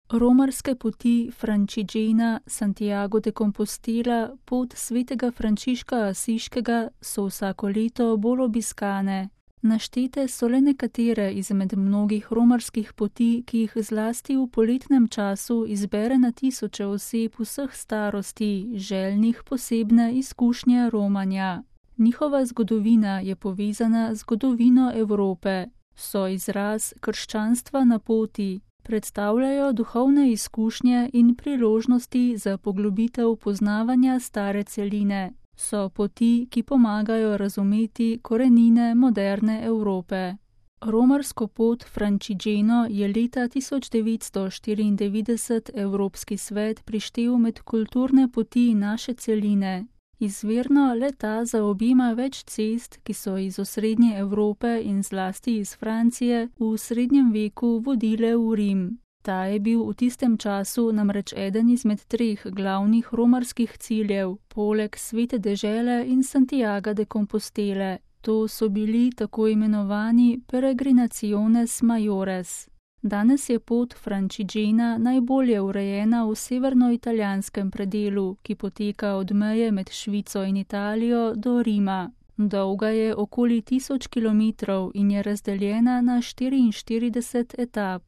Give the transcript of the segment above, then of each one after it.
Romarske poti Franciščena Santiago de Compostela, pot svetega Frančiška Asiškega, so vsako leto bolj obiskane. Naštete so le nekatere izmed mnogih romarskih poti, ki jih zlasti v poletnem času izbere na tisoče oseb vseh starosti, željnih posebne izkušnje romanja. Njihova zgodovina je povezana z zgodovino Evrope. So izraz krščanstva na poti, predstavljajo duhovne izkušnje in priložnosti za poglobitev poznavanja stare celine. So poti, ki pomagajo razumeti korenine moderne Evrope. Romarsko pot Franciščeno je leta 1994 Evropski svet prištel med kulturne poti naše celine. Izvirno le ta zaobjema več cest, ki so iz osrednje Evrope in zlasti iz Francije v srednjem veku vodile v Rim. Ta je bil v tistem času namreč eden izmed 3 glavnih romarskih ciljev, poleg Svete dežele in Santiaga de Compostele. To so bili tako imenovani peregrinaciones majores. Danes je pot Franciščena najbolje urejena v severnoitalijanskem predelu, ki poteka od meje med Švico in Italijo do Rima. Dolga je okoli 1000 kilometrov in je razdeljena na 44 etap.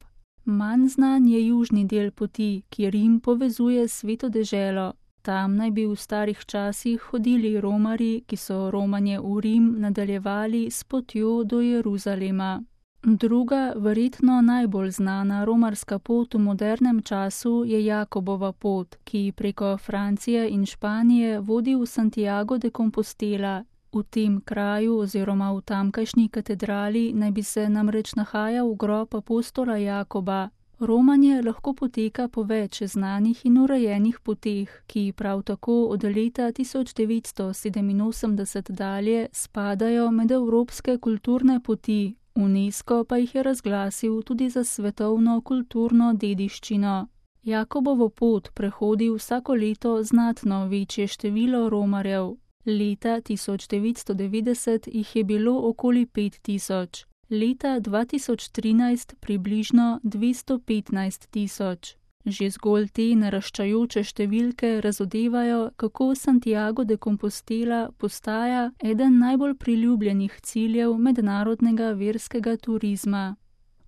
Manj znan je južni del poti, ki Rim povezuje s Sveto deželo. Tam naj bi v starih časih hodili romarji, ki so romanje v Rim nadaljevali s potjo do Jeruzalema. Druga, verjetno najbolj znana romarska pot v modernem času je Jakobova pot, ki preko Francije in Španije vodi v Santiago de Compostela. V tem kraju oziroma v tamkajšnji katedrali naj bi se namreč nahajal grob apostola Jakoba. Romanje lahko poteka po več znanih in urejenih poteh, ki prav tako od leta 1987 dalje spadajo med evropske kulturne poti. UNESCO pa jih je razglasil tudi za svetovno kulturno dediščino. Jakobovo pot prehodi vsako leto znatno večje število romarjev. Leta 1990 jih je bilo okoli 5000, leta 2013 približno 215 000. Že zgolj te naraščajoče številke razodevajo, kako Santiago de Compostela postaja eden najbolj priljubljenih ciljev mednarodnega verskega turizma.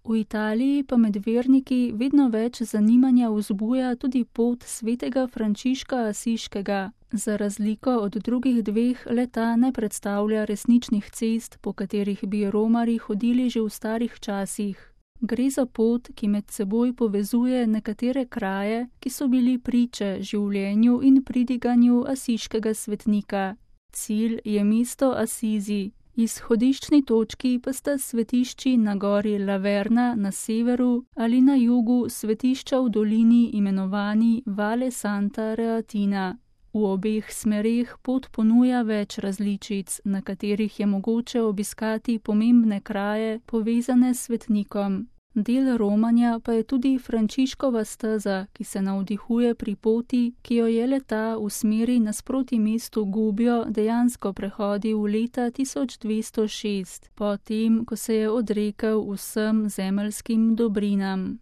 V Italiji pa med verniki vedno več zanimanja vzbuja tudi pot svetega Frančiška Asiškega. Za razliko od drugih 2 le-ta ne predstavlja resničnih cest, po katerih bi romarji hodili že v starih časih. Gre za pot, ki med seboj povezuje nekatere kraje, ki so bili priče življenju in pridiganju asiškega svetnika. Cilj je mesto Asizi, izhodiščni točki pa sta svetišči na gori Laverna na severu ali na jugu svetišča v dolini imenovani Valle Santa Reatina. V obeh smereh pot ponuja več različic, na katerih je mogoče obiskati pomembne kraje povezane s svetnikom. Del romanja pa je tudi Frančiškova steza, ki se navdihuje pri poti, ki jo je le-ta v smeri nasproti mestu Gubbio dejansko prehodil leta 1206, potem, ko se je odrekel vsem zemeljskim dobrinam.